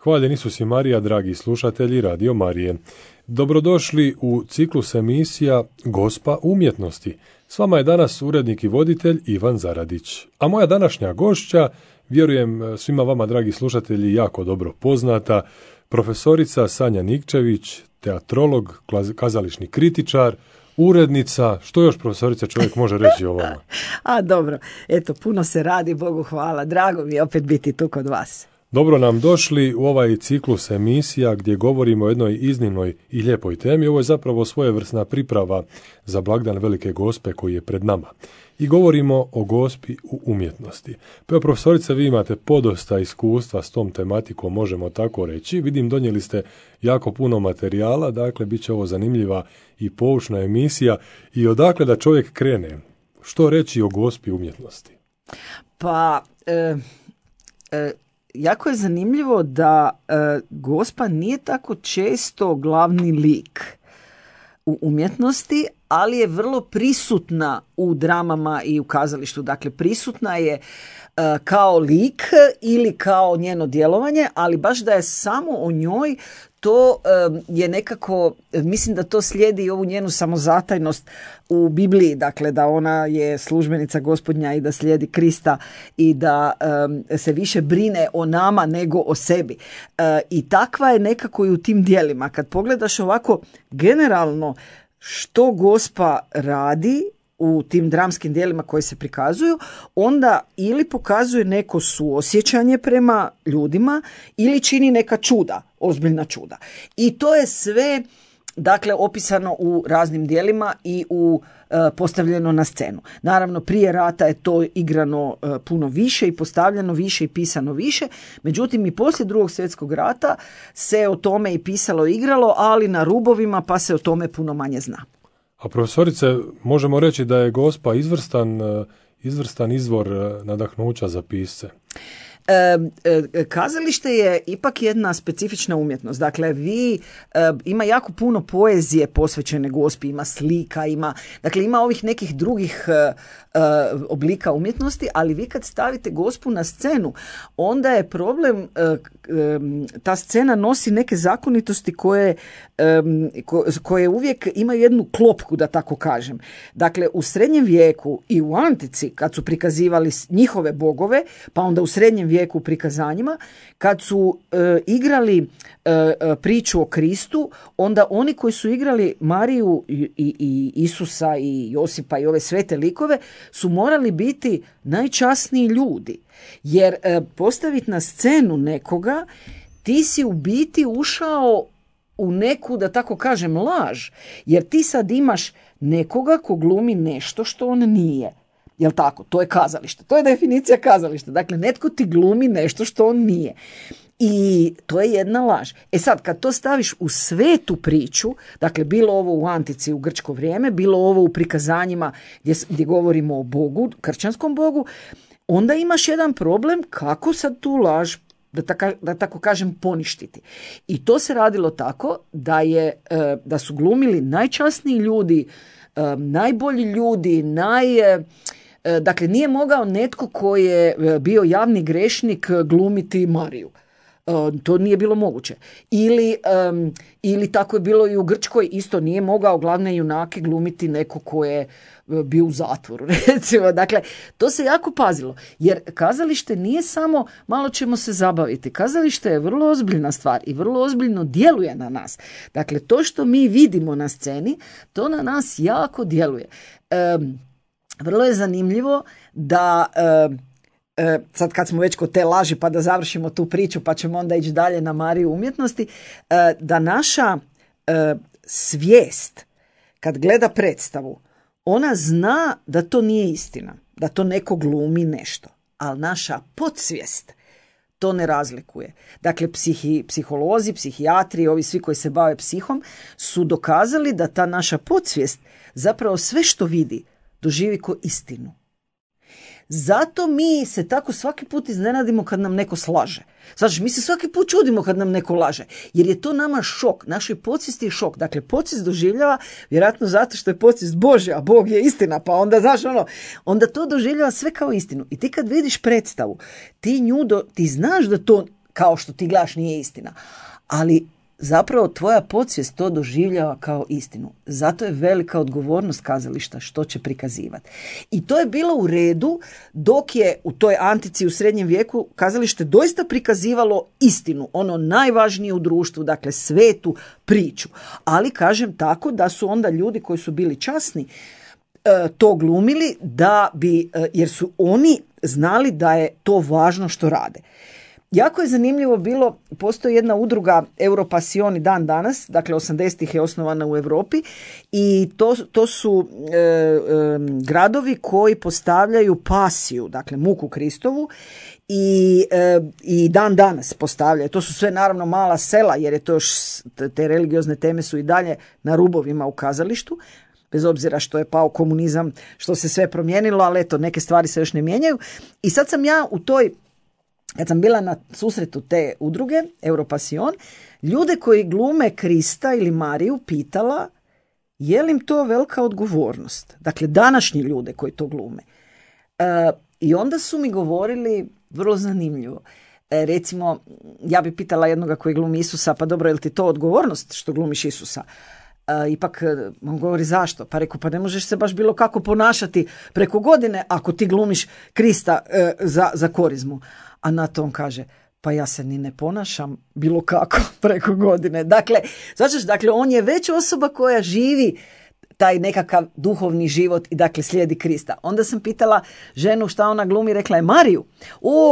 Hvaljen Isus i Marija, dragi slušatelji Radio Marije. Dobrodošli u ciklus emisija Gospa umjetnosti. S vama je danas urednik i voditelj Ivan Zaradić. A moja današnja gošća, vjerujem svima vama, dragi slušatelji, jako dobro poznata, profesorica Sanja Nikčević, teatrolog, kazališni kritičar, urednica. Što još, profesorica, čovjek može reći o vama? Dobro, eto, puno se radi, Bogu hvala. Drago mi je opet biti tu kod vas. Dobro nam došli u ovaj ciklus emisija gdje govorimo o jednoj iznimnoj i lijepoj temi. Ovo je zapravo svojevrsna priprava za blagdan Velike Gospe koji je pred nama. I govorimo o Gospi u umjetnosti. Pa profesorice, vi imate podosta iskustva s tom tematikom, možemo tako reći. Vidim, donijeli ste jako puno materijala, dakle, bit će ovo zanimljiva i poučna emisija. I odakle da čovjek krene? Što reći o Gospi umjetnosti? Jako je zanimljivo da Gospa nije tako često glavni lik u umjetnosti, ali je vrlo prisutna u dramama i u kazalištu. Dakle, prisutna je kao lik ili kao njeno djelovanje, ali baš da je samo o njoj, to je nekako, mislim da to slijedi ovu njenu samozatajnost u Bibliji, dakle da ona je službenica Gospodnja i da slijedi Krista i da se više brine o nama nego o sebi. I takva je nekako i u tim djelima. Kad pogledaš ovako generalno što Gospa radi u tim dramskim djelima koji se prikazuju, onda ili pokazuje neko suosjećanje prema ljudima ili čini neka čuda, ozbiljna čuda. I to je sve, dakle, opisano u raznim djelima i postavljeno na scenu. Naravno, prije rata je to igrano puno više i postavljeno više i pisano više, međutim i poslije Drugog svjetskog rata se o tome i pisalo i igralo, ali na rubovima, pa se o tome puno manje zna. A profesorice, možemo reći da je Gospa izvrstan izvor nadahnuća za pisce? Kazalište je ipak jedna specifična umjetnost. Dakle, ima jako puno poezije posvećene Gospi, ima slika, ima ovih nekih drugih oblika umjetnosti, ali vi kad stavite Gospu na scenu, onda je problem, ta scena nosi neke zakonitosti koje uvijek imaju jednu klopku, da tako kažem. Dakle, u srednjem vijeku i u antici, kad su prikazivali njihove bogove, pa onda u srednjem vijeku u prikazanjima, kad su igrali priču o Kristu, onda oni koji su igrali Mariju i Isusa i Josipa i ove svete likove su morali biti najčasniji ljudi. Jer postaviti na scenu nekoga, ti si u biti ušao u neku, da tako kažem, laž. Jer ti sad imaš nekoga ko glumi nešto što on nije. Jel tako? To je kazalište. To je definicija kazališta. Dakle, netko ti glumi nešto što on nije. I to je jedna laž. Sad, kad to staviš u svetu priču, dakle, bilo ovo u antici, u grčko vrijeme, bilo ovo u prikazanjima gdje govorimo o Bogu, kršćanskom Bogu, onda imaš jedan problem kako sad tu laž, da tako kažem, poništiti. I to se radilo tako da su glumili najčasniji ljudi, najbolji ljudi, dakle, nije mogao netko koji je bio javni grešnik glumiti Mariju. To nije bilo moguće. Ili tako je bilo i u Grčkoj, isto nije mogao glavne junake glumiti neko ko je bio u zatvoru, recimo. Dakle, to se jako pazilo, jer kazalište nije samo malo ćemo se zabaviti. Kazalište je vrlo ozbiljna stvar i vrlo ozbiljno djeluje na nas. Dakle, to što mi vidimo na sceni, to na nas jako djeluje. Vrlo je zanimljivo da sad kad smo već kod te laži, pa da završimo tu priču, pa ćemo onda ići dalje na Mariju umjetnosti, da naša svijest kad gleda predstavu, ona zna da to nije istina, da to neko glumi nešto, ali naša podsvijest to ne razlikuje. Dakle, psiholozi, psihijatri, ovi svi koji se bave psihom su dokazali da ta naša podsvijest zapravo sve što vidi doživi ko istinu. Zato mi se tako svaki put iznenadimo kad nam neko slaže. Znači, mi se svaki put čudimo kad nam neko laže, jer je to nama šok. Našoj podsvijesti je šok. Dakle, podsvijest doživljava, vjerojatno zato što je podsvijest Božja, a Bog je istina, pa onda, onda to doživljava sve kao istinu. I ti kad vidiš predstavu, ti znaš da to kao što ti gledaš nije istina. Ali zapravo tvoja podsvijest to doživljava kao istinu. Zato je velika odgovornost kazališta što će prikazivati. I to je bilo u redu dok je u toj antici u srednjem vijeku kazalište doista prikazivalo istinu, ono najvažnije u društvu, dakle svetu priču. Ali kažem tako da su onda ljudi koji su bili časni to glumili jer su oni znali da je to važno što rade. Jako je zanimljivo bilo, postoji jedna udruga Europassion i dan danas, dakle 80-ih je osnovana u Europi i to su gradovi koji postavljaju pasiju, dakle muku Kristovu i dan danas postavljaju. To su sve naravno mala sela jer je to još, te religiozne teme su i dalje na rubovima u kazalištu, bez obzira što je pao komunizam, što se sve promijenilo, ali eto, neke stvari se još ne mijenjaju. I sad sam ja kad sam bila na susretu te udruge, Europassion, ljude koji glume Krista ili Mariju pitala je li im to velika odgovornost. Dakle, današnji ljude koji to glume. I onda su mi govorili vrlo zanimljivo. Recimo, ja bi pitala jednoga koji glumi Isusa, pa dobro, je li ti to odgovornost što glumiš Isusa? Ipak on govori zašto? Pa rekao, pa ne možeš se baš bilo kako ponašati preko godine ako ti glumiš Krista za korizmu. A na to on kaže, pa ja se ni ne ponašam bilo kako preko godine. Dakle, on je već osoba koja živi taj nekakav duhovni život i dakle slijedi Krista. Onda sam pitala ženu šta ona glumi, rekla je Mariju.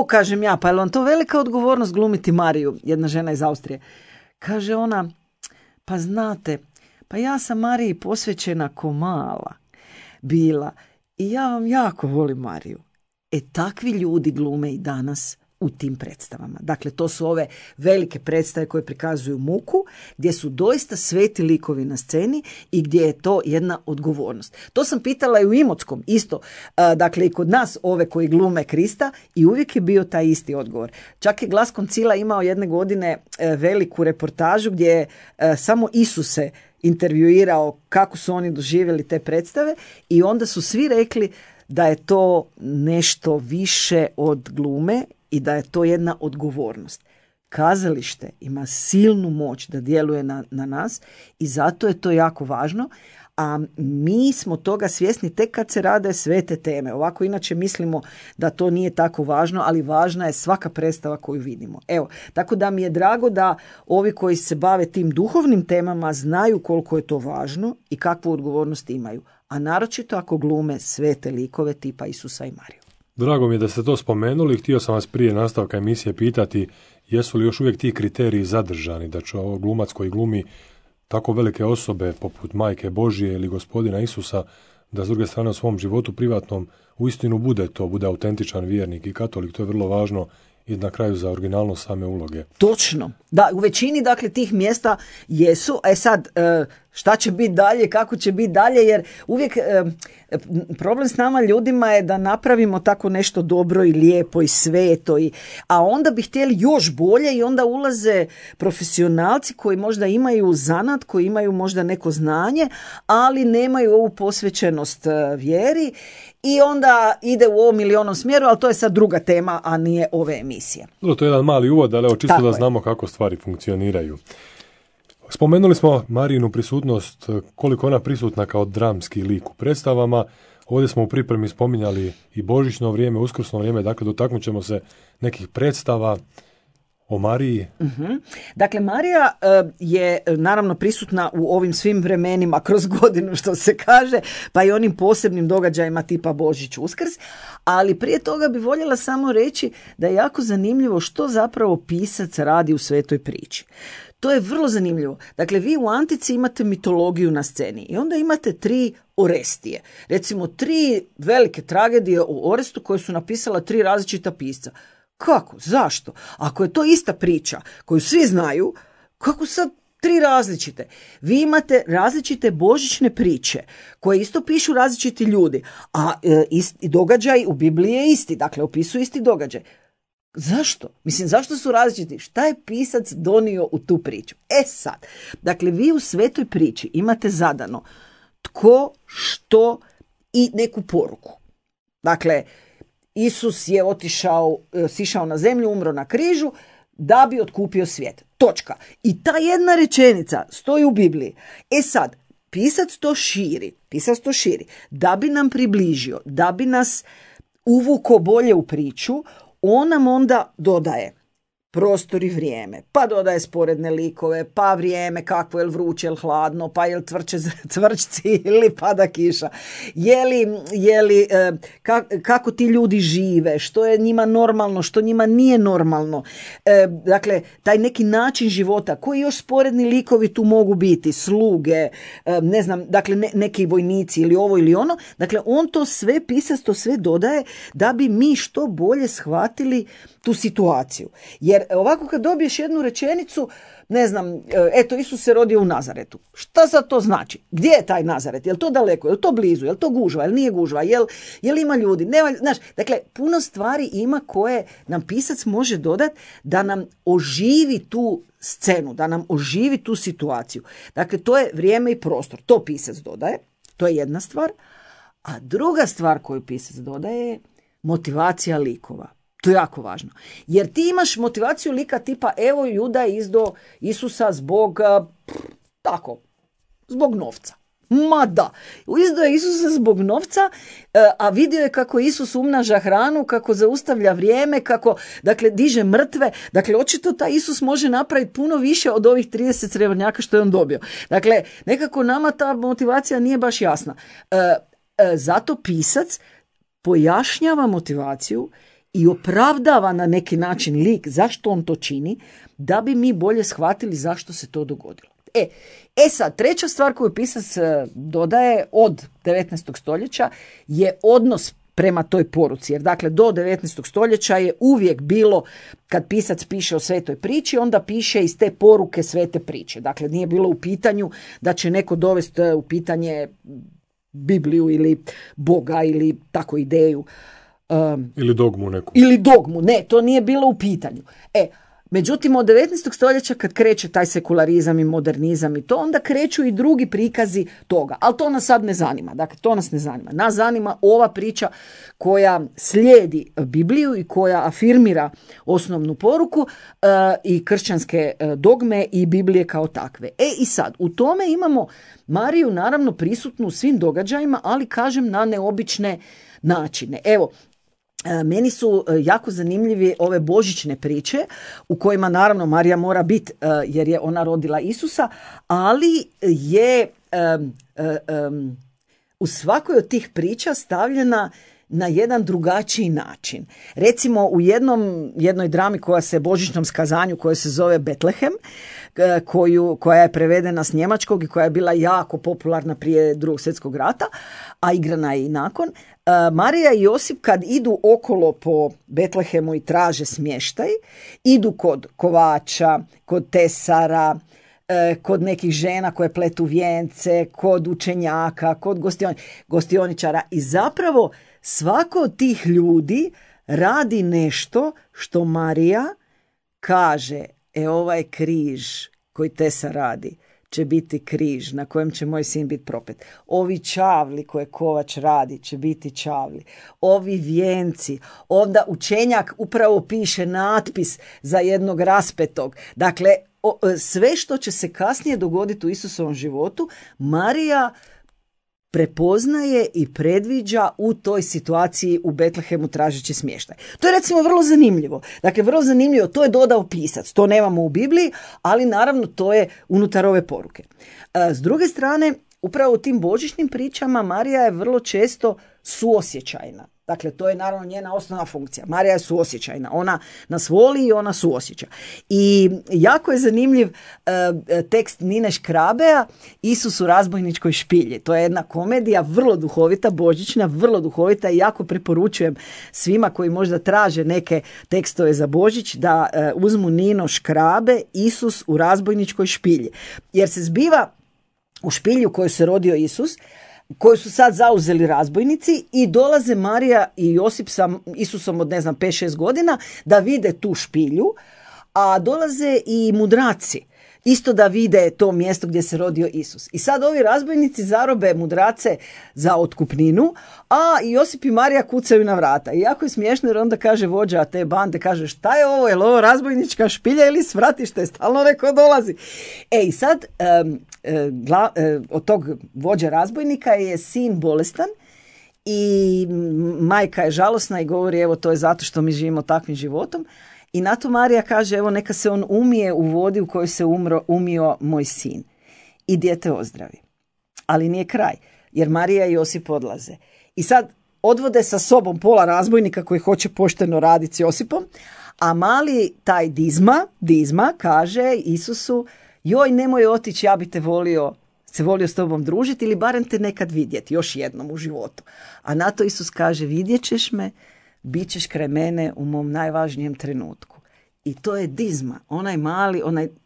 Kažem ja, pa je li vam to velika odgovornost glumiti Mariju? Jedna žena iz Austrije. Kaže ona, pa znate, pa ja sam Mariji posvećena ko mala bila i ja vam jako volim Mariju. Takvi ljudi glume i danas u tim predstavama. Dakle, to su ove velike predstave koje prikazuju muku, gdje su doista sveti likovi na sceni i gdje je to jedna odgovornost. To sam pitala i u Imotskom, isto. Dakle, i kod nas ove koji glume Krista i uvijek je bio taj isti odgovor. Čak je Glas Koncila imao jedne godine veliku reportažu gdje je samo Isuse intervjuirao kako su oni doživjeli te predstave i onda su svi rekli da je to nešto više od glume i da je to jedna odgovornost. Kazalište ima silnu moć da djeluje na nas i zato je to jako važno, a mi smo toga svjesni tek kad se rade sve te teme. Ovako inače mislimo da to nije tako važno, ali važna je svaka predstava koju vidimo. Evo, tako da mi je drago da ovi koji se bave tim duhovnim temama znaju koliko je to važno i kakvu odgovornost imaju. A naročito ako glume svete likove tipa Isusa i Mariju. Drago mi je da ste to spomenuli. Htio sam vas prije nastavka emisije pitati jesu li još uvijek ti kriteriji zadržani, da će ovo glumac koji glumi tako velike osobe poput Majke Božije ili Gospodina Isusa, da s druge strane u svom životu privatnom uistinu bude autentičan vjernik i katolik. To je vrlo važno i na kraju za originalnost same uloge. Točno. Da, u većini dakle tih mjesta jesu. Sad, šta će biti dalje, kako će biti dalje, jer uvijek problem s nama ljudima je da napravimo tako nešto dobro i lijepo i sveto, a onda bi htjeli još bolje i onda ulaze profesionalci koji možda imaju zanat, koji imaju možda neko znanje, ali nemaju ovu posvećenost vjeri i onda ide u ovom ili onom smjeru, ali to je sad druga tema, a nije ove emisije. To je jedan mali uvod, ali čisto tako da znamo kako stvari funkcioniraju. Spomenuli smo Marijinu prisutnost, koliko ona prisutna kao dramski lik u predstavama. Ovdje smo u pripremi spominjali i božićno vrijeme, uskrsno vrijeme, dakle dotaknut ćemo se nekih predstava o Mariji. Uh-huh. Dakle, Marija je naravno prisutna u ovim svim vremenima kroz godinu, što se kaže, pa i onim posebnim događajima tipa Božić, Uskrs, ali prije toga bi voljela samo reći da je jako zanimljivo što zapravo pisac radi u svetoj priči. To je vrlo zanimljivo. Dakle, vi u antici imate mitologiju na sceni i onda imate 3 Orestije. Recimo 3 velike tragedije o Orestu koje su napisala 3 različita pisca. Kako? Zašto? Ako je to ista priča koju svi znaju, kako sad 3 različite? Vi imate različite božićne priče koje isto pišu različiti ljudi, a događaj u Bibliji je isti, dakle opisuju isti događaj. Zašto? Zašto su različiti? Šta je pisac donio u tu priču? Sad, dakle, vi u svetoj priči imate zadano tko, što i neku poruku. Dakle, Isus je sišao na zemlju, umro na križu, da bi otkupio svijet. Točka. I ta jedna rečenica stoji u Bibliji. E sad, pisac to širi da bi nam približio, da bi nas uvuko bolje u priču. On nam onda dodaje prostor i vrijeme, pa dodaje sporedne likove, pa vrijeme kakvo, je li vruće, je li hladno, pa je li cvrčci ili pada kiša, kako ti ljudi žive, što je njima normalno, što njima nije normalno. Dakle, taj neki način života, koji još sporedni likovi tu mogu biti, sluge, ne znam, dakle neki vojnici ili ovo ili ono. Dakle, on to sve, pisac to sve dodaje da bi mi što bolje shvatili tu situaciju. Jer ovako kad dobiješ jednu rečenicu, ne znam, eto, Isus se rodio u Nazaretu. Šta sad to znači? Gdje je taj Nazaret? Je li to daleko? Je li to blizu? Je li to gužva? Je li nije gužva? Je li ima ljudi? Znaš, dakle, puno stvari ima koje nam pisac može dodati da nam oživi tu scenu, da nam oživi tu situaciju. Dakle, to je vrijeme i prostor. To pisac dodaje. To je jedna stvar. A druga stvar koju pisac dodaje je motivacija likova. To je jako važno. Jer ti imaš motivaciju lika tipa evo Juda je izdao Isusa zbog zbog novca. Ma da, izdao je Isusa zbog novca, a vidio je kako Isus umnaža hranu, kako zaustavlja vrijeme, kako, dakle, diže mrtve. Dakle, očito taj Isus može napraviti puno više od ovih 30 srebrnjaka što je on dobio. Dakle, nekako nama ta motivacija nije baš jasna. Zato pisac pojašnjava motivaciju i opravdava na neki način lik zašto on to čini, da bi mi bolje shvatili zašto se to dogodilo. Sad, treća stvar koju pisac dodaje od 19. stoljeća je odnos prema toj poruci. Jer dakle, do 19. stoljeća je uvijek bilo, kad pisac piše o svetoj priči, onda piše iz te poruke svete priče. Dakle, nije bilo u pitanju da će neko dovesti u pitanje Bibliju ili Boga ili tako ideju. Ili dogmu neku. Ili dogmu, ne, to nije bilo u pitanju. Međutim, od 19. stoljeća kad kreće taj sekularizam i modernizam i to, onda kreću i drugi prikazi toga. Ali to nas sad ne zanima. Dakle, to nas ne zanima. Nas zanima ova priča koja slijedi Bibliju i koja afirmira osnovnu poruku i kršćanske dogme i Biblije kao takve. I sad, u tome imamo Mariju naravno prisutnu u svim događajima, ali kažem na neobične načine. Evo, meni su jako zanimljivi ove božićne priče u kojima naravno Marija mora biti jer je ona rodila Isusa, ali je u svakoj od tih priča stavljena na jedan drugačiji način. Recimo u jednoj drami koja se božićnom skazanju koja se zove Betlehem, koja je prevedena s njemačkog i koja je bila jako popularna prije Drugog svjetskog rata, a igrana je i nakon. Marija i Josip kad idu okolo po Betlehemu i traže smještaj, idu kod kovača, kod tesara, kod nekih žena koje pletu vijence, kod učenjaka, kod gostioničara i zapravo svako od tih ljudi radi nešto što Marija kaže, ovaj križ koji Tesa radi će biti križ na kojem će moj sin biti propet. Ovi čavli koje kovač radi će biti čavli. Ovi vijenci, onda učenjak upravo piše natpis za jednog raspetog. Dakle, sve što će se kasnije dogoditi u Isusovom životu, Marija prepoznaje i predviđa u toj situaciji u Betlehemu tražeći smještaj. To je recimo vrlo zanimljivo. Dakle, vrlo zanimljivo, to je dodao pisac. To nemamo u Bibliji, ali naravno to je unutar ove poruke. S druge strane, upravo u tim božićnim pričama Marija je vrlo često suosjećajna. Dakle, to je naravno njena osnovna funkcija. Marija je suosjećajna. Ona nas voli i ona suosjeća. I jako je zanimljiv tekst Nine Škrabea, Isus u razbojničkoj špilji. To je jedna komedija, vrlo duhovita, božićna, vrlo duhovita i jako preporučujem svima koji možda traže neke tekstove za Božić da uzmu Nino Škrabe, Isus u razbojničkoj špilji. Jer se zbiva u špilji u kojoj se rodio Isus, koju su sad zauzeli razbojnici i dolaze Marija i Josip sa Isusom od 5-6 godina da vide tu špilju, a dolaze i mudraci isto da vide to mjesto gdje se rodio Isus. I sad ovi razbojnici zarobe mudrace za otkupninu, a Josip i Marija kucaju na vrata. I jako je smiješno jer onda kaže vođa te bande, kaže šta je ovo, je li ovo razbojnička špilja ili svratište, stalno neko dolazi. I sad od tog vođa razbojnika je sin bolestan i majka je žalosna i govori evo to je zato što mi živimo takvim životom. I na to Marija kaže, evo neka se on umije u vodi u kojoj se umio moj sin. I dijete ozdravi. Ali nije kraj, jer Marija i Josip odlaze. I sad odvode sa sobom pola razbojnika koji hoće pošteno raditi s Josipom, a mali taj Dizma kaže Isusu, joj nemoj otići, ja bi te volio s tobom družiti ili barem te nekad vidjeti, još jednom u životu. A na to Isus kaže, vidjet ćeš me, bit ćeš kraj mene u mom najvažnijem trenutku. I to je Dizma, onaj mali,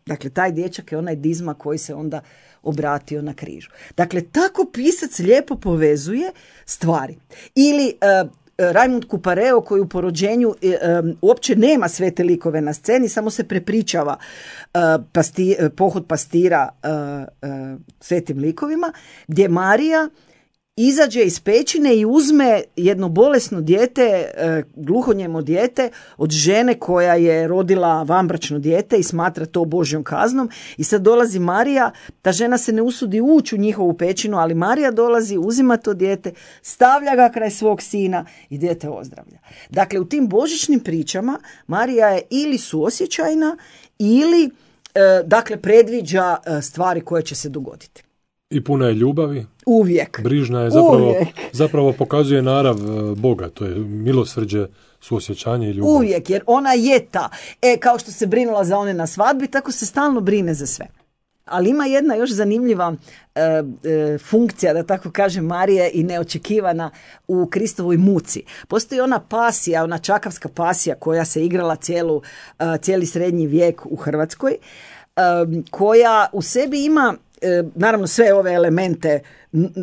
dakle taj dječak je onaj Dizma koji se onda obratio na križu. Dakle, tako pisac lijepo povezuje stvari. Ili Raimund Kupareo koji u porođenju uopće nema sve te likove na sceni, samo se prepričava pohod pastira svetim likovima, gdje Marija izađe iz pećine i uzme jedno bolesno dijete, gluhonijemo dijete od žene koja je rodila vanbračno dijete i smatra to Božjom kaznom. I sad dolazi Marija, ta žena se ne usudi ući u njihovu pećinu, ali Marija dolazi, uzima to dijete, stavlja ga kraj svog sina i dijete ozdravlja. Dakle, u tim božićnim pričama Marija je ili suosjećajna ili dakle predviđa stvari koje će se dogoditi. I puna je ljubavi. Uvijek. Brižna je, zapravo pokazuje narav Boga, to je milosrđe, suosjećanje i ljubav. Uvijek, jer ona je ta. Kao što se brinula za one na svadbi, tako se stalno brine za sve. Ali ima jedna još zanimljiva funkcija, da tako kažem, Marije i neočekivana u Kristovoj muci. Postoji ona pasija, ona čakavska pasija koja se igrala cijeli srednji vijek u Hrvatskoj, koja u sebi ima naravno sve ove elemente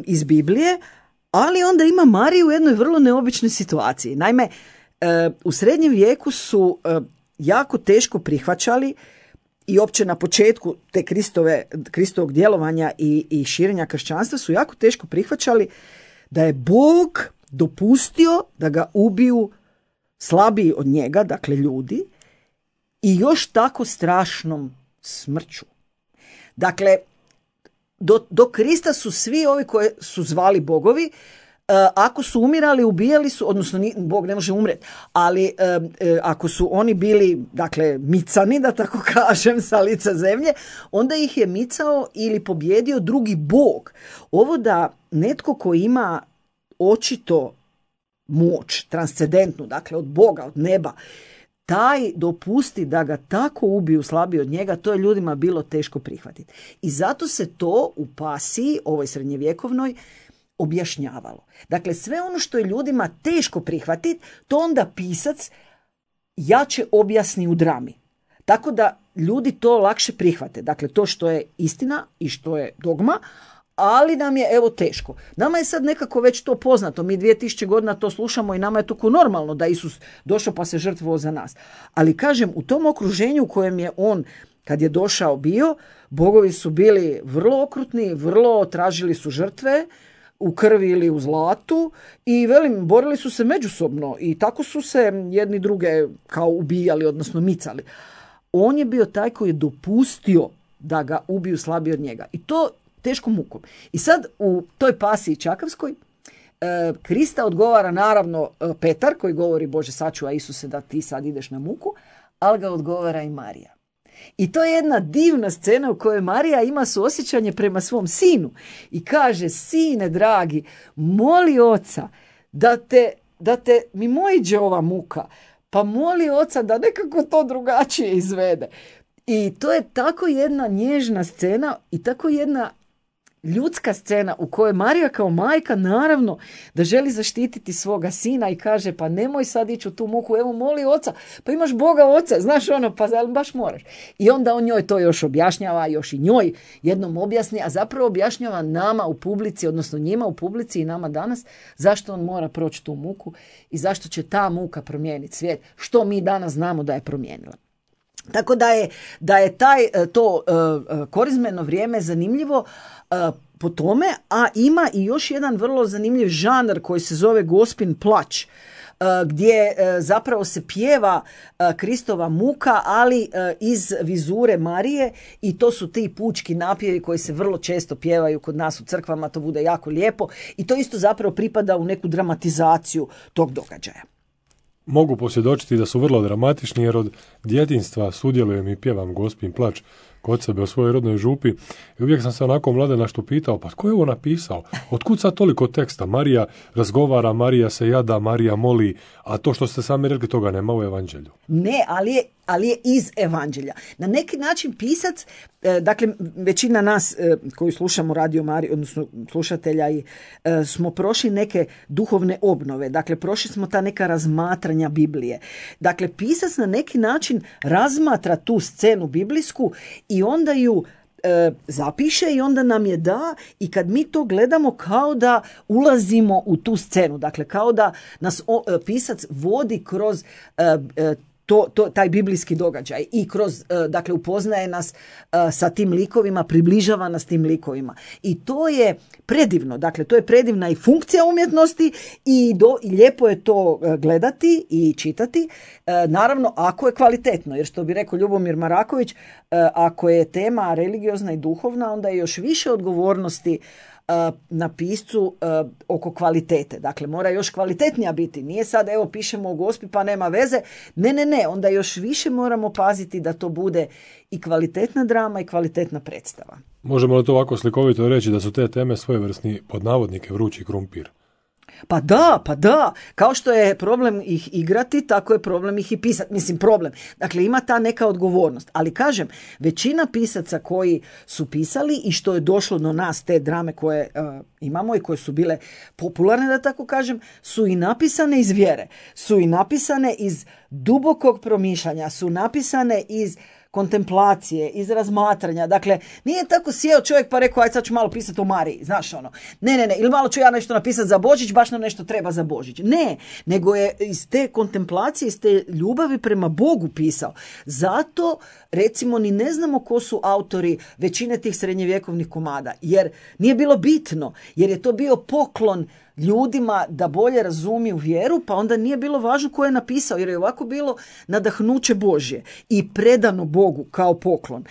iz Biblije, ali onda ima Mariju u jednoj vrlo neobičnoj situaciji. Naime, u srednjem vijeku su jako teško prihvaćali i opće na početku te Kristovog djelovanja i širenja kršćanstva su jako teško prihvaćali da je Bog dopustio da ga ubiju slabiji od njega, dakle ljudi, i još tako strašnom smrću. Dakle, do Krista su svi ovi koje su zvali bogovi, ako su umirali, ubijali su, odnosno Bog ne može umreti, ali ako su oni bili, dakle, micani, da tako kažem, sa lica zemlje, onda ih je micao ili pobjedio drugi Bog. Ovo da netko ko ima očito moć, transcendentnu, dakle od Boga, od neba, taj dopusti da ga tako ubiju slabiji od njega, to je ljudima bilo teško prihvatiti. I zato se to u pasiji, ovoj srednjevjekovnoj, objašnjavalo. Dakle, sve ono što je ljudima teško prihvatiti, to onda pisac jače objasni u drami. Tako da ljudi to lakše prihvate. Dakle, to što je istina i što je dogma, ali nam je evo teško. Nama je sad nekako već to poznato. Mi 2000 godina to slušamo i nama je to normalno da Isus došao pa se žrtvovao za nas. Ali kažem, u tom okruženju u kojem je on, kad je došao bio, bogovi su bili vrlo okrutni, vrlo tražili su žrtve u krvi ili u zlatu i borili su se međusobno i tako su se jedni druge kao ubijali, odnosno micali. On je bio taj koji je dopustio da ga ubiju slabiji od njega. I to teškom mukom. I sad u toj pasiji čakavskoj Krista odgovara naravno Petar koji govori Bože sačuvaj Isuse da ti sad ideš na muku, ali ga odgovara i Marija. I to je jedna divna scena u kojoj Marija ima suosjećanje prema svom sinu i kaže, sine dragi, moli oca da te mimoiđe ova muka, pa moli oca da nekako to drugačije izvede. I to je tako jedna nježna scena i tako jedna ljudska scena u kojoj Marija kao majka naravno da želi zaštititi svoga sina i kaže pa nemoj sad ići u tu muku, evo moli oca, pa imaš Boga oca, znaš ono, pa baš moraš. I onda on njoj to još objašnjava, još i njoj jednom objasni, a zapravo objašnjava nama u publici, odnosno njima u publici i nama danas, zašto on mora proći tu muku i zašto će ta muka promijeniti svijet, što mi danas znamo da je promijenila. Tako da je to korizmeno vrijeme zanimljivo po tome, a ima i još jedan vrlo zanimljiv žanr koji se zove Gospin plać, gdje zapravo se pjeva Kristova muka, ali iz vizure Marije, i to su ti pučki napjevi koji se vrlo često pjevaju kod nas u crkvama, to bude jako lijepo i to isto zapravo pripada u neku dramatizaciju tog događaja. Mogu posvjedočiti da su vrlo dramatični, jer od djetinjstva sudjelujem i pjevam Gospin plać kod sebe u svojoj rodnoj župi i uvijek sam se onako mladenašto pitao, pa tko je ovo napisao? Otkud sad toliko teksta? Marija razgovara, Marija se jada, Marija moli, a to što ste sami rekli, toga nema u evanđelju. Ne, ali je iz evanđelja. Na neki način pisac, dakle većina nas koji slušamo Radio Mariju, odnosno slušatelja, smo prošli neke duhovne obnove, dakle prošli smo ta neka razmatranja Biblije. Dakle, pisac na neki način razmatra tu scenu biblijsku i onda ju zapiše i onda nam je da, i kad mi to gledamo kao da ulazimo u tu scenu, dakle kao da nas pisac vodi kroz taj biblijski događaj i kroz, dakle, upoznaje nas sa tim likovima, približava nas tim likovima. I to je predivno, dakle, to je predivna i funkcija umjetnosti i lijepo je to gledati i čitati, naravno ako je kvalitetno, jer što bi rekao Ljubomir Maraković, ako je tema religiozna i duhovna, onda je još više odgovornosti na piscu oko kvalitete. Dakle, mora još kvalitetnija biti. Nije sad, evo, pišemo o Gospi pa nema veze. Ne. Onda još više moramo paziti da to bude i kvalitetna drama i kvalitetna predstava. Možemo li to ovako slikovito reći da su te teme svojevrsni, pod navodnike, vrući krumpir? Pa da. Kao što je problem ih igrati, tako je problem ih i pisati. Mislim, problem. Dakle, ima ta neka odgovornost. Ali kažem, većina pisaca koji su pisali i što je došlo do nas, te drame koje imamo i koje su bile popularne, da tako kažem, su i napisane iz vjere. Su i napisane iz dubokog promišljanja. Su napisane iz kontemplacije, iz razmatranja. Dakle, nije tako sjeo čovjek pa rekao, aj sad ću malo pisati o Mariji, znaš ono. Ne, ili malo ću ja nešto napisati za Božić, baš nam nešto treba za Božić. Ne, nego je iz te kontemplacije, iz te ljubavi prema Bogu pisao. Zato, recimo, ni ne znamo ko su autori većine tih srednjevjekovnih komada, jer nije bilo bitno, jer je to bio poklon ljudima da bolje razumiju vjeru, pa onda nije bilo važno ko je napisao, jer je ovako bilo nadahnuće Božje i predano Bogu kao poklon.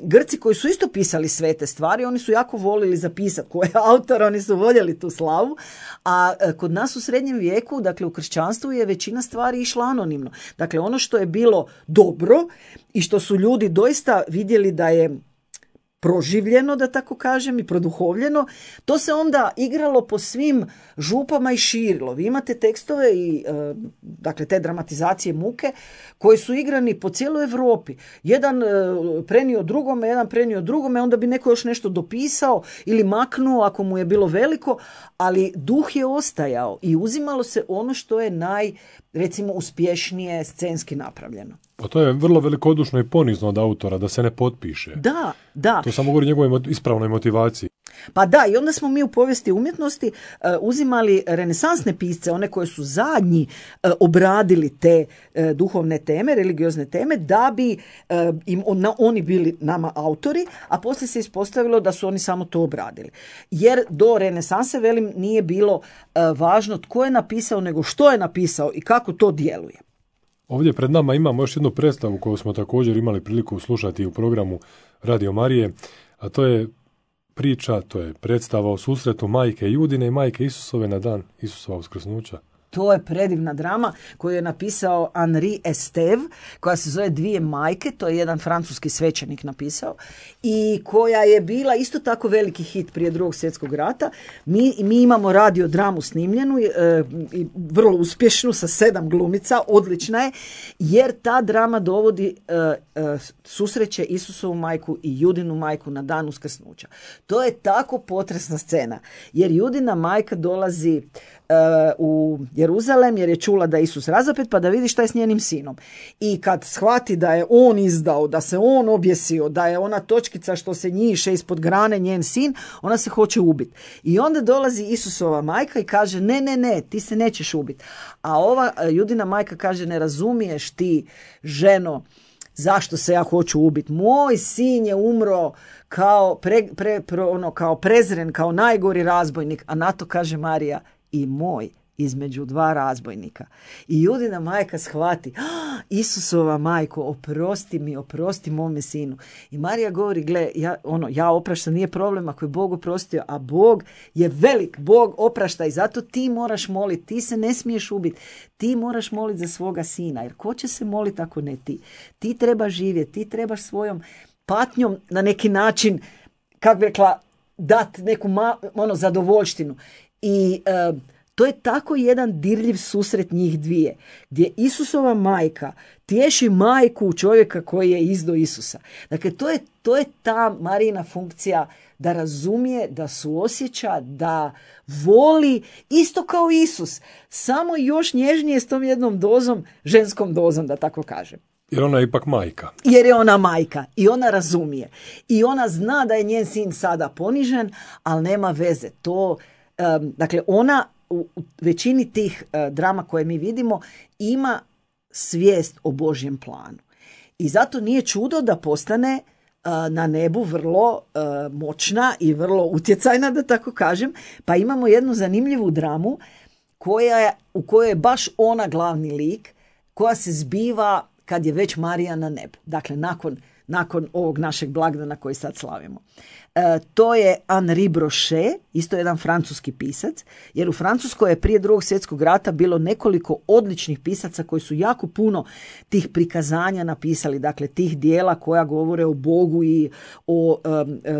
Grci koji su isto pisali svete stvari, oni su jako volili zapisati ko je autor, oni su voljeli tu slavu, a kod nas u srednjem vijeku, dakle u kršćanstvu, je većina stvari išla anonimno. Dakle, ono što je bilo dobro i što su ljudi doista vidjeli da je proživljeno, da tako kažem, i produhovljeno, to se onda igralo po svim župama i širilo. Vi imate tekstove i dakle te dramatizacije muke koji su igrani po cijeloj Europi. Jedan prenio drugome, onda bi neko još nešto dopisao ili maknuo ako mu je bilo veliko, ali duh je ostajao i uzimalo se ono što je recimo uspješnije scenski napravljeno. Pa to je vrlo velikodušno i ponizno od autora da se ne potpiše. Da. To samo govori o njegovoj ispravnoj motivaciji. Pa da, i onda smo mi u povijesti umjetnosti uzimali renesansne pisce, one koje su zadnji obradili te duhovne teme, religiozne teme, da bi oni bili nama autori, a poslije se ispostavilo da su oni samo to obradili. Jer do renesanse, velim, nije bilo važno tko je napisao, nego što je napisao i kako to djeluje. Ovdje pred nama imamo još jednu predstavu koju smo također imali priliku slušati u programu Radio Marije, a to je priča, to je predstava o susretu majke Judine i majke Isusove na dan Isusova uskrsnuća. To je predivna drama koju je napisao Henri Estève, koja se zove Dvije majke, to je jedan francuski svećenik napisao, i koja je bila isto tako veliki hit prije Drugog svjetskog rata. Mi imamo radio dramu snimljenu, i vrlo uspješnu, sa 7 glumica, odlična je, jer ta drama dovodi susreće Isusovu majku i Judinu majku na dan uskrsnuća. To je tako potresna scena, jer Judina majka dolazi u Jeruzalem jer je čula da je Isus razapet, pa da vidi šta je s njenim sinom. I kad shvati da je on izdao, da se on objesio, da je ona točkica što se njiše ispod grane njen sin, ona se hoće ubiti. I onda dolazi Isusova majka i kaže ne, ti se nećeš ubiti. A ova Judina majka kaže, ne razumiješ ti, ženo, zašto se ja hoću ubiti. Moj sin je umro kao, kao prezren, kao najgori razbojnik, a na to kaže Marija i moj između dva razbojnika. I Judina majka shvati, Isusova majko, oprosti mome sinu. I Marija govori, gle, ja opraštam, nije problem ako je Bog oprostio, a Bog je velik, Bog oprašta i zato ti moraš moliti, ti se ne smiješ ubiti, ti moraš moliti za svoga sina, jer ko će se moliti ako ne ti? Ti trebaš živjeti, ti trebaš svojom patnjom na neki način, kako bi rekla, dati neku zadovoljštinu. I to je tako jedan dirljiv susret njih dvije, gdje Isusova majka tješi majku čovjeka koji je izdao Isusa. Dakle, to je ta Marijina funkcija da razumije, da suosjeća, da voli, isto kao Isus, samo još nježnije s tom jednom dozom, ženskom dozom, da tako kažem. Jer ona je ipak majka. Jer je ona majka i ona razumije. I ona zna da je njen sin sada ponižen, ali nema veze. Dakle, ona u većini tih drama koje mi vidimo ima svijest o Božjem planu. I zato nije čudo da postane na nebu vrlo moćna i vrlo utjecajna, da tako kažem. Pa imamo jednu zanimljivu dramu u kojoj je baš ona glavni lik, koja se zbiva kad je već Marija na nebu. Dakle, nakon ovog našeg blagdana koji sad slavimo. To je Henri Brochet, isto jedan francuski pisac, jer u Francuskoj je prije Drugog svjetskog rata bilo nekoliko odličnih pisaca koji su jako puno tih prikazanja napisali, dakle tih dijela koja govore o Bogu i o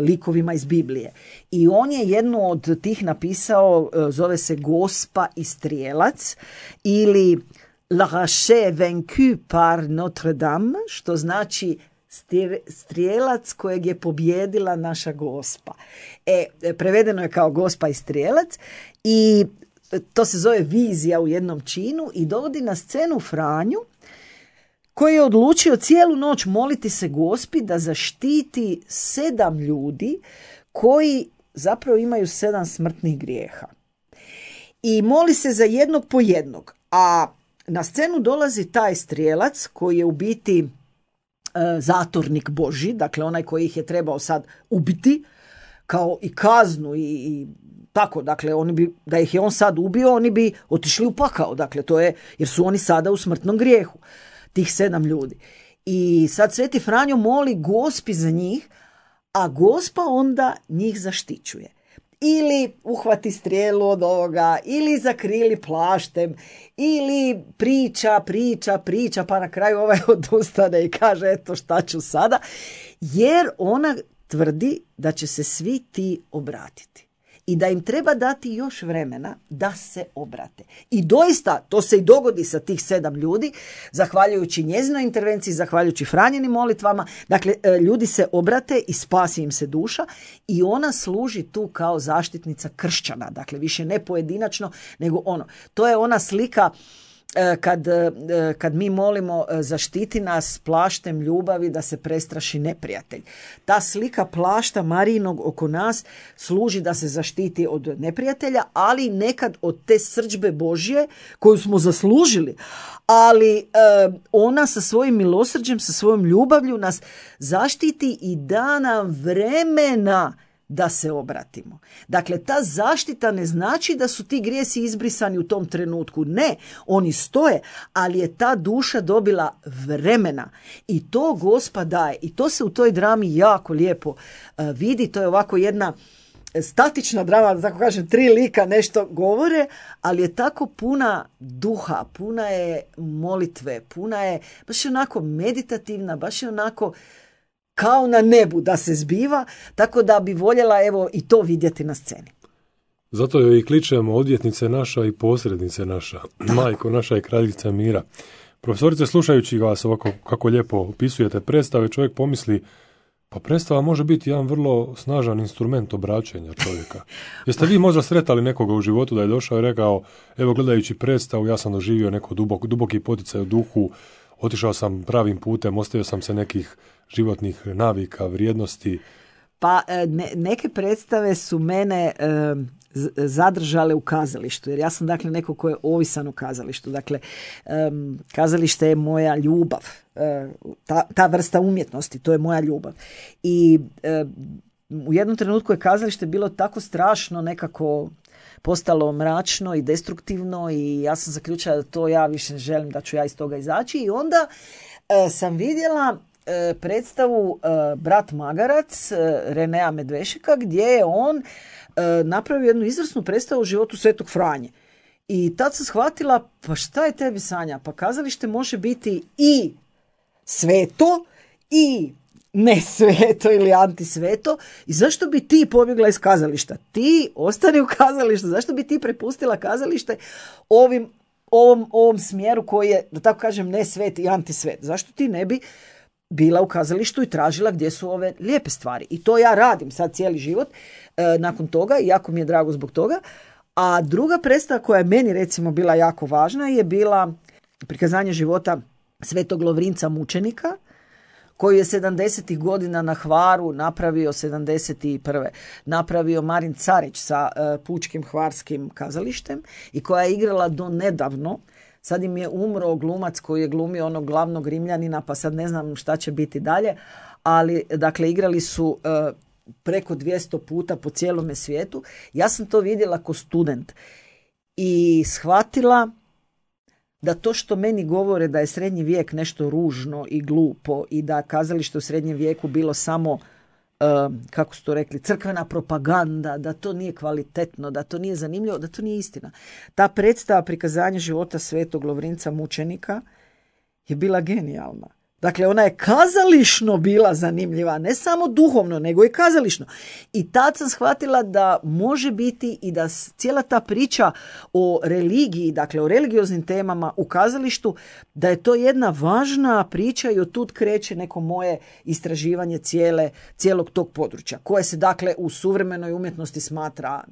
likovima iz Biblije. I on je jednu od tih napisao, zove se Gospa i strijelac ili L'archer vaincu par Notre Dame, što znači strijelac kojeg je pobjedila naša Gospa. Prevedeno je kao Gospa i strijelac i to se zove vizija u jednom činu i dovodi na scenu Franju koji je odlučio cijelu noć moliti se Gospi da zaštiti 7 ljudi koji zapravo imaju 7 smrtnih grijeha. I moli se za jednog po jednog, a na scenu dolazi taj strijelac koji je u biti zatornik Božji, dakle onaj koji ih je trebao sad ubiti kao i kaznu i tako, dakle oni bi, da ih je on sad ubio, oni bi otišli u pakao, dakle to je, jer su oni sada u smrtnom grijehu, tih 7 ljudi. I sad Sveti Franjo moli Gospi za njih, a Gospa onda njih zaštićuje. Ili uhvati strijelu od ovoga, ili zakrili plaštem, ili priča, pa na kraju ovaj odustane i kaže eto šta ću sada, jer ona tvrdi da će se svi ti obratiti i da im treba dati još vremena da se obrate. I doista to se i dogodi sa tih 7 ljudi, zahvaljujući njezinoj intervenciji, zahvaljujući Franjinim molitvama. Dakle, ljudi se obrate i spasi im se duša i ona služi tu kao zaštitnica kršćana. Dakle, više ne pojedinačno, nego to je ona slika kad mi molimo zaštiti nas plaštem ljubavi da se prestraši neprijatelj. Ta slika plašta Marijinog oko nas služi da se zaštiti od neprijatelja, ali nekad od te srdžbe Božje koju smo zaslužili. Ali ona sa svojim milosrđem, sa svojom ljubavlju nas zaštiti i da nam vremena da se obratimo. Dakle, ta zaštita ne znači da su ti grijesi izbrisani u tom trenutku. Ne, oni stoje, ali je ta duša dobila vremena. I to Gospa daje. I to se u toj drami jako lijepo vidi. To je ovako jedna statična drama, da tako kažem, 3 lika nešto govore, ali je tako puna duha, puna je molitve, puna je baš onako meditativna, baš je onako kao na nebu da se zbiva, tako da bi voljela evo i to vidjeti na sceni. Zato joj i kličemo odvjetnice naša i posrednice naša, majko naša i kraljica mira. Profesorice, slušajući vas ovako kako lijepo opisujete predstave, čovjek pomisli, pa predstava može biti jedan vrlo snažan instrument obraćanja čovjeka. Jeste vi možda sretali nekoga u životu da je došao i rekao, evo gledajući predstavu ja sam doživio neko duboki poticaj u duhu, otišao sam pravim putem, ostavio sam se nekih životnih navika, vrijednosti? Pa neke predstave su mene zadržale u kazalištu, jer ja sam dakle neko ko je ovisan u kazalištu. Dakle, kazalište je moja ljubav, ta vrsta umjetnosti, to je moja ljubav. I u jednom trenutku je kazalište bilo tako strašno, nekako postalo mračno i destruktivno i ja sam zaključila da to ja više želim, da ću ja iz toga izaći. I onda sam vidjela predstavu Brat Magarac Renea Medvešeka, gdje je on napravio jednu izvrsnu predstavu o životu Svetog Franje. I tad sam shvatila, pa šta je tebi, Sanja? Pa kazalište može biti i sveto i ne sveto ili antisveto. I zašto bi ti pobjegla iz kazališta? Ti ostani u kazalištu. Zašto bi ti prepustila kazalište ovom smjeru koji je, da tako kažem, ne svet i antisvet? Zašto ti ne bi bila u kazalištu i tražila gdje su ove lijepe stvari? I to ja radim sad cijeli život nakon toga i jako mi je drago zbog toga. A druga predstava koja je meni recimo bila jako važna je bila prikazanje života Svetog Lovrinca mučenika, koju je 70. godina na Hvaru napravio 71. napravio Marin Carić sa Pučkim hvarskim kazalištem i koja je igrala do nedavno. Sad im je umro glumac koji je glumio onog glavnog Rimljanina, pa sad ne znam šta će biti dalje, ali dakle igrali su preko 200 puta po cijelome svijetu. Ja sam to vidjela kao student i shvatila da to što meni govore da je srednji vijek nešto ružno i glupo i da kazalište u srednjem vijeku bilo samo, kako su to rekli, crkvena propaganda, da to nije kvalitetno, da to nije zanimljivo, da to nije istina. Ta predstava prikazanja života Svetog Lovrinca mučenika je bila genijalna. Dakle, ona je kazališno bila zanimljiva, ne samo duhovno, nego i kazališno. I tad sam shvatila da može biti i da cijela ta priča o religiji, dakle o religioznim temama u kazalištu, da je to jedna važna priča i od tud kreće neko moje istraživanje cijelog tog područja, koje se dakle u suvremenoj umjetnosti smatra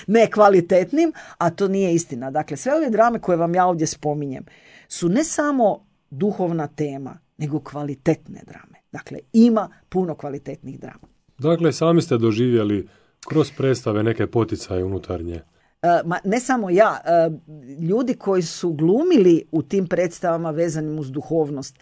ne kvalitetnim, a to nije istina. Dakle, sve ove drame koje vam ja ovdje spominjem su ne samo duhovna tema, nego kvalitetne drame. Dakle, ima puno kvalitetnih drama. Dakle, sami ste doživjeli kroz predstave neke poticaje unutarnje. Ne samo ja, ljudi koji su glumili u tim predstavama vezanim uz duhovnost,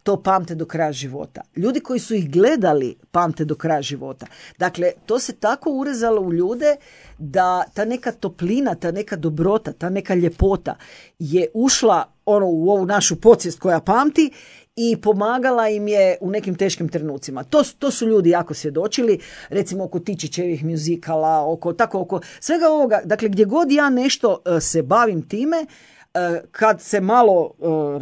to pamte do kraja života. Ljudi koji su ih gledali pamte do kraja života. Dakle, to se tako urezalo u ljude da ta neka toplina, ta neka dobrota, ta neka ljepota je ušla u ovu našu podsvijest koja pamti i pomagala im je u nekim teškim trenucima. To su ljudi jako svjedočili, recimo oko Tičićevih mjuzikala, oko svega ovoga. Dakle, gdje god ja nešto se bavim time, kad se malo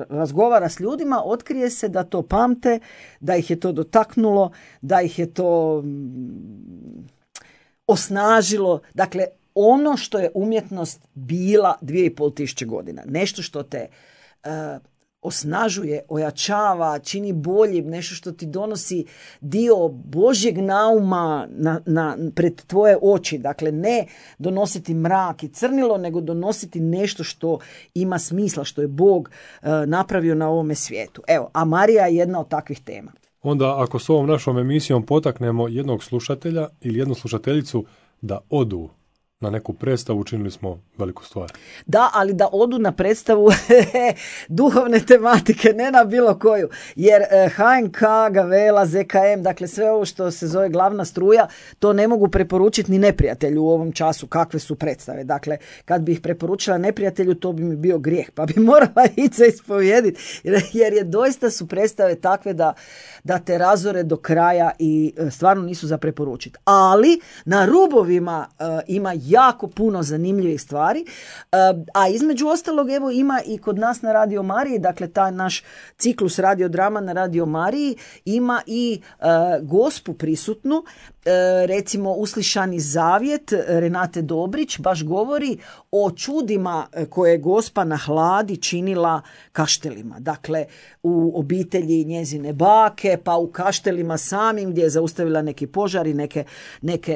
razgovara s ljudima, otkrije se da to pamte, da ih je to dotaknulo, da ih je to osnažilo. Dakle, ono što je umjetnost bila 2500 godina. Nešto što te osnažuje, ojačava, čini boljim, nešto što ti donosi dio Božjeg nauma pred tvoje oči. Dakle, ne donositi mrak i crnilo, nego donositi nešto što ima smisla, što je Bog napravio na ovome svijetu. Evo, a Marija je jedna od takvih tema. Onda, ako s ovom našom emisijom potaknemo jednog slušatelja ili jednu slušateljicu da odu na neku predstavu, učinili smo veliku stvar. Da, ali da odu na predstavu duhovne tematike, ne na bilo koju. Jer HNK, Gavela, ZKM, dakle sve ovo što se zove glavna struja, to ne mogu preporučiti ni neprijatelju u ovom času kakve su predstave. Dakle, kad bi ih preporučila neprijatelju, to bi mi bio grijeh, pa bi morala ići se ispovijediti. Jer je doista su predstave takve da te razore do kraja i stvarno nisu za preporučiti. Ali na rubovima ima jako puno zanimljivih stvari, a između ostalog evo ima i kod nas na Radio Mariji, dakle taj naš ciklus radiodrama na Radio Mariji ima i gospu prisutnu, recimo Uslišani zavjet Renate Dobrić baš govori o čudima koje je gospa na Hladi činila Kaštelima. Dakle, u obitelji njezine bake, pa u Kaštelima samim gdje je zaustavila neki požari,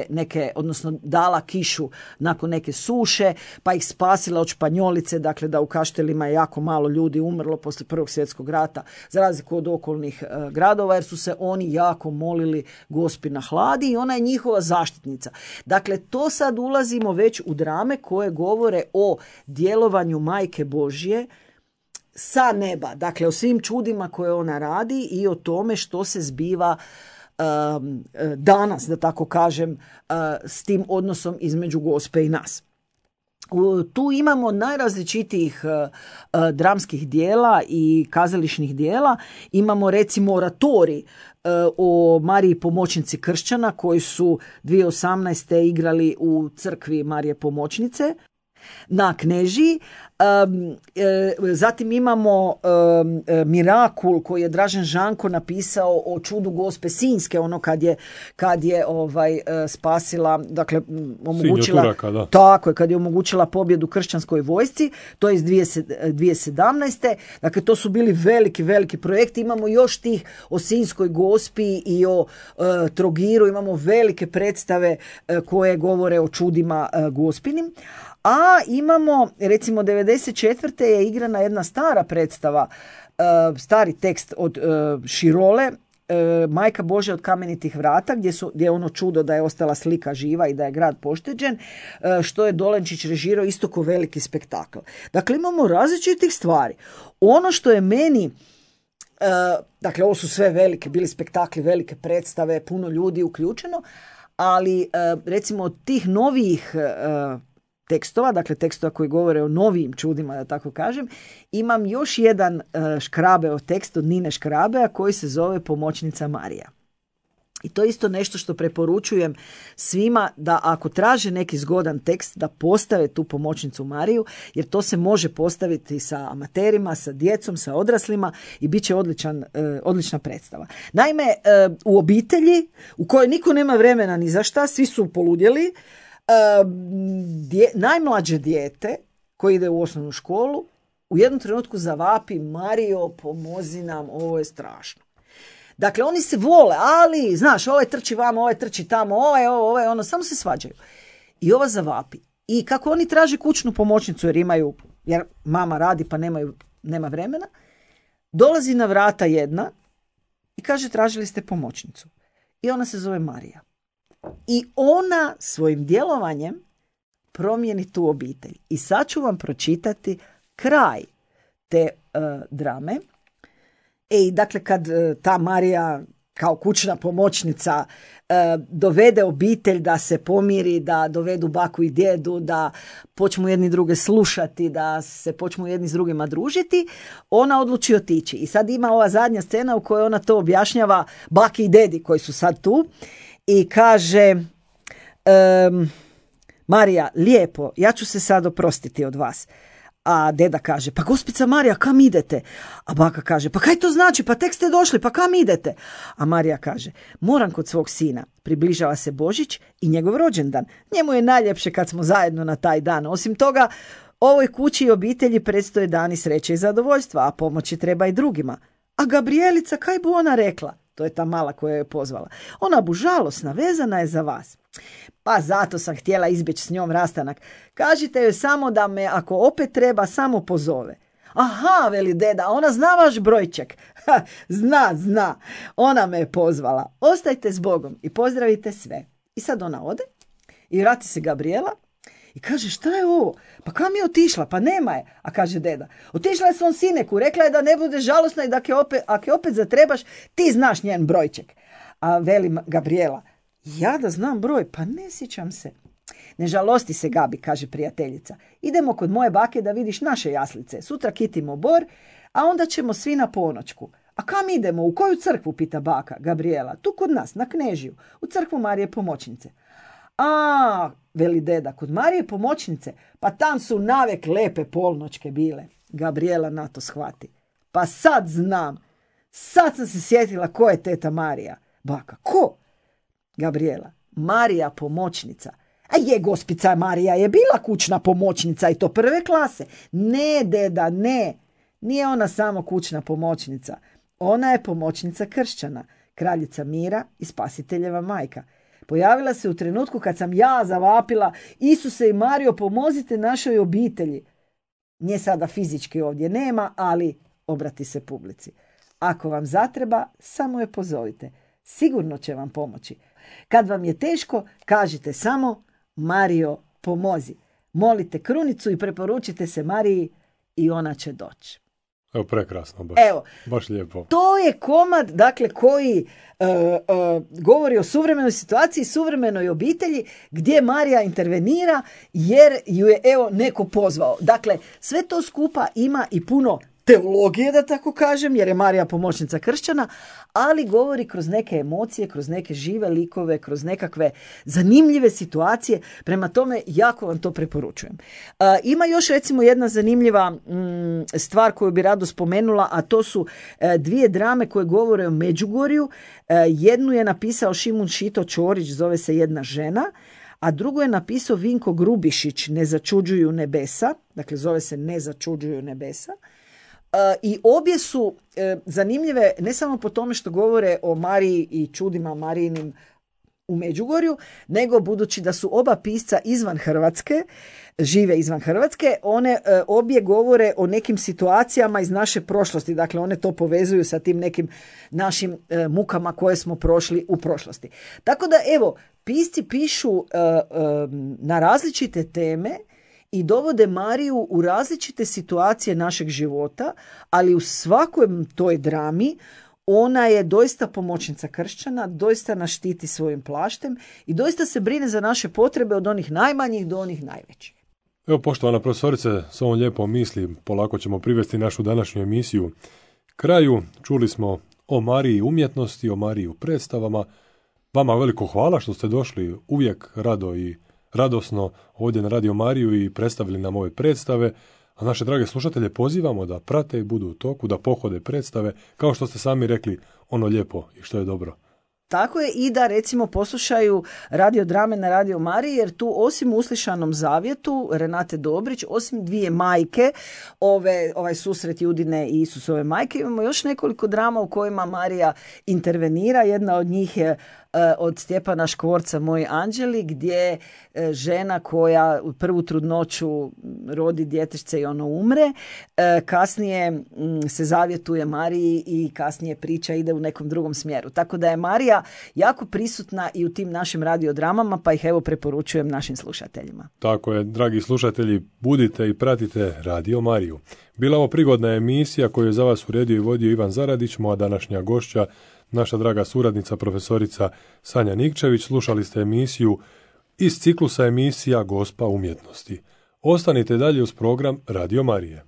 neke odnosno dala kišu nakon neke suše, pa ih spasila od Španjolice, dakle da u Kaštelima je jako malo ljudi umrlo poslije Prvog svjetskog rata, za razliku od okolnih gradova, jer su se oni jako molili Gospi na hladi i ona je njihova zaštitnica. Dakle, to sad ulazimo već u drame koje govore o djelovanju Majke Božje sa neba, dakle o svim čudima koje ona radi i o tome što se zbiva danas, da tako kažem, s tim odnosom između Gospe i nas. Tu imamo najrazličitijih dramskih dijela i kazališnih dijela. Imamo recimo oratorij o Mariji pomoćnici kršćana koji su 2018. igrali u crkvi Marije pomoćnice na Knežiji. Zatim imamo Mirakul koji je Dražen Žanko napisao o čudu Gospe Sinjske, ono kad je spasila, dakle omogućila Turaka, da. Tako je, kad je omogućila pobjedu kršćanskoj vojsci, to je iz 2017. Dakle, to su bili veliki projekti. Imamo još tih o Sinjskoj Gospi i o Trogiru, imamo velike predstave koje govore o čudima Gospinim. A imamo, recimo 94. je igrana jedna stara predstava, stari tekst od Širole, Majka Božja od kamenitih vrata, gdje je ono čudo da je ostala slika živa i da je grad pošteđen, što je Dolenčić režirao isto ko veliki spektakl. Dakle, imamo različitih stvari. Ono što je meni, dakle, ovo su sve velike, bili spektakli, velike predstave, puno ljudi uključeno, ali recimo od tih novijih tekstova, dakle tekstova koji govore o novijim čudima, da tako kažem, imam još jedan Škrabeov tekst od Nine Škrabea koji se zove Pomoćnica Marija. I to je isto nešto što preporučujem svima, da ako traže neki zgodan tekst da postave tu Pomoćnicu Mariju, jer to se može postaviti sa amaterima, sa djecom, sa odraslima i bit će odlična predstava. Naime, u obitelji u kojoj niko nema vremena ni za šta, svi su poludjeli, najmlađe dijete koji ide u osnovnu školu u jednom trenutku zavapi: Mario, pomozi nam, ovo je strašno. Dakle, oni se vole, ali, znaš, ovaj trči vamo, ovaj trči tamo, ovaj ono, samo se svađaju. I ova zavapi. I kako oni traže kućnu pomoćnicu jer mama radi pa nema vremena, dolazi na vrata jedna i kaže: tražili ste pomoćnicu. I ona se zove Marija. I ona svojim djelovanjem promijeni tu obitelj. I sad ću vam pročitati kraj te drame. I dakle, kad ta Marija kao kućna pomoćnica dovede obitelj da se pomiri, da dovedu baku i djedu, da počnu jedni druge slušati, da se počnu jedni s drugima družiti, ona odluči otići. I sad ima ova zadnja scena u kojoj ona to objašnjava baki i dedi koji su sad tu. I kaže: Marija, lijepo, ja ću se sad oprostiti od vas. A deda kaže: pa gospica Marija, kam idete? A baka kaže: pa kaj to znači, pa tek ste došli, pa kam idete? A Marija kaže: moram kod svog sina, približava se Božić i njegov rođendan. Njemu je najljepše kad smo zajedno na taj dan. Osim toga, ovoj kući i obitelji predstoje dani sreće i zadovoljstva, a pomoći treba i drugima. A Gabrielica, kaj bu ona rekla? To je ta mala koja je pozvala. Ona bu žalosna, vezana je za vas. Pa zato sam htjela izbjeći s njom rastanak. Kažite joj samo da me, ako opet treba, samo pozove. Aha, veli deda, ona zna vaš brojček. Zna. Ona me je pozvala. Ostajte s Bogom i pozdravite sve. I sad ona ode i vrati se Gabriela i kaže: šta je ovo? Pa kam je otišla? Pa nema je. A kaže deda: otišla je svom sineku, rekla je da ne bude žalosna i da ako je opet zatrebaš, ti znaš njen brojček. A veli Gabriela: ja da znam broj, pa ne sjećam se. Ne žalosti se, Gabi, kaže prijateljica. Idemo kod moje bake da vidiš naše jaslice. Sutra kitimo bor, a onda ćemo svi na ponoćku. A kam idemo? U koju crkvu? Pita baka Gabriela. Tu kod nas, na Knežiju, u crkvu Marije pomoćnice. A, veli deda, kod Marije pomoćnice? Pa tam su navek lepe polnoćke bile. Gabriela na to shvati. Pa sad znam. Sad sam se sjetila ko je teta Marija. Baka: ko? Gabriela: Marija pomoćnica. A je, gospica Marija je bila kućna pomoćnica i to prve klase. Ne, deda, ne. Nije ona samo kućna pomoćnica. Ona je pomoćnica kršćana, kraljica mira i spasiteljeva majka. Pojavila se u trenutku kad sam ja zavapila: Isuse i Mario, pomozite našoj obitelji. Nje sada fizički ovdje nema, ali obrati se publici. Ako vam zatreba, samo je pozovite. Sigurno će vam pomoći. Kad vam je teško, kažite samo: Mario, pomozi. Molite krunicu i preporučite se Mariji i ona će doći. Evo, prekrasno, baš lijepo. To je komad, dakle, koji govori o suvremenoj situaciji, suvremenoj obitelji, gdje Marija intervenira jer ju je, evo, neko pozvao. Dakle, sve to skupa ima i puno teologije, da tako kažem, jer je Marija pomoćnica kršćana, ali govori kroz neke emocije, kroz neke žive likove, kroz nekakve zanimljive situacije. Prema tome, jako vam to preporučujem. Ima još, recimo, jedna zanimljiva stvar koju bi rado spomenula, a to su dvije drame koje govore o Međugorju. Jednu je napisao Šimun Šito Ćorić, zove se Jedna žena, a drugo je napisao Vinko Grubišić, Ne začuđuju nebesa. Dakle, zove se Ne začuđuju nebesa. I obje su zanimljive ne samo po tome što govore o Mariji i čudima Marijinim u Međugorju, nego budući da su oba pisca izvan Hrvatske, žive izvan Hrvatske, one obje govore o nekim situacijama iz naše prošlosti. Dakle, one to povezuju sa tim nekim našim mukama koje smo prošli u prošlosti. Tako da, evo, pisci pišu na različite teme i dovode Mariju u različite situacije našeg života, ali u svakoj toj drami ona je doista pomoćnica kršćana, doista nas štiti svojim plaštem i doista se brine za naše potrebe od onih najmanjih do onih najvećih. Evo, poštovana profesorice, s ovom lijepom misli polako ćemo privesti našu današnju emisiju kraju. Čuli smo o Mariji umjetnosti, o Mariji u predstavama. Vama veliko hvala što ste došli uvijek rado i radosno ovdje na Radio Mariju i predstavili nam ove predstave, a naše drage slušatelje pozivamo da prate i budu u toku, da pohode predstave, kao što ste sami rekli, ono lijepo i što je dobro. Tako je, i da recimo poslušaju radiodrame na Radio Mariji, jer tu osim Uslišanom zavjetu Renate Dobrić, osim dvije majke, ovaj susret Judine i Isusove majke, imamo još nekoliko drama u kojima Marija intervenira. Jedna od njih je od Stjepana Škvorca Moji anđeli, gdje žena koja u prvu trudnoću rodi djetešce i ono umre, kasnije se zavjetuje Mariji i kasnije priča ide u nekom drugom smjeru. Tako da je Marija jako prisutna i u tim našim radiodramama, pa ih evo preporučujem našim slušateljima. Tako je, dragi slušatelji, budite i pratite Radio Mariju. Bila ovo prigodna emisija koju je za vas uredio i vodio Ivan Zaradić, moja današnja gošća, naša draga suradnica, profesorica Sanja Nikčević. Slušali ste emisiju iz ciklusa emisija Gospa umjetnosti. Ostanite dalje uz program Radio Marije.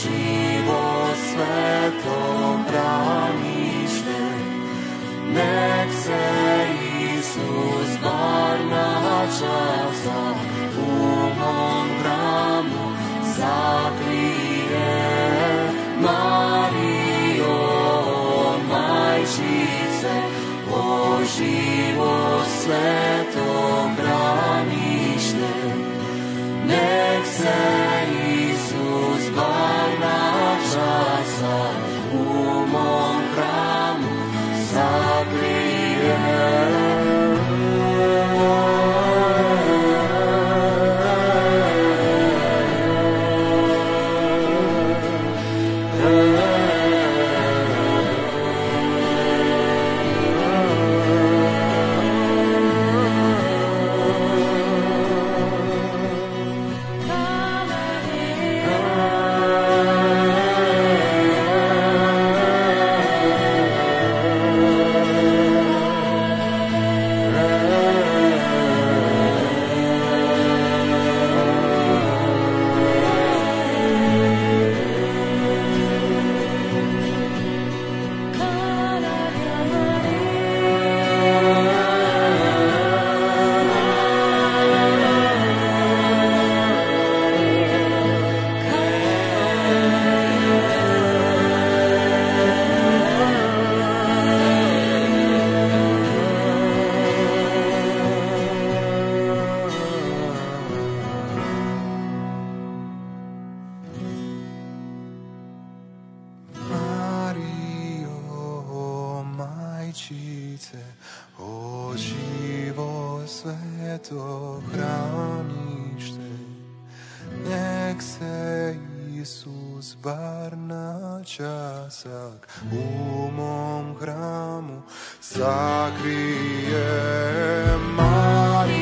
Živo sveto branište, nek se Isus bar na časa u mom hramu zakrije. Marijo, majčice, o živo sveto branište, nek se Isus bar na časa u mom hramu zakrije. O živo sveto branište, nek se Isus bar na časak u mom hramu sakrije. Marija,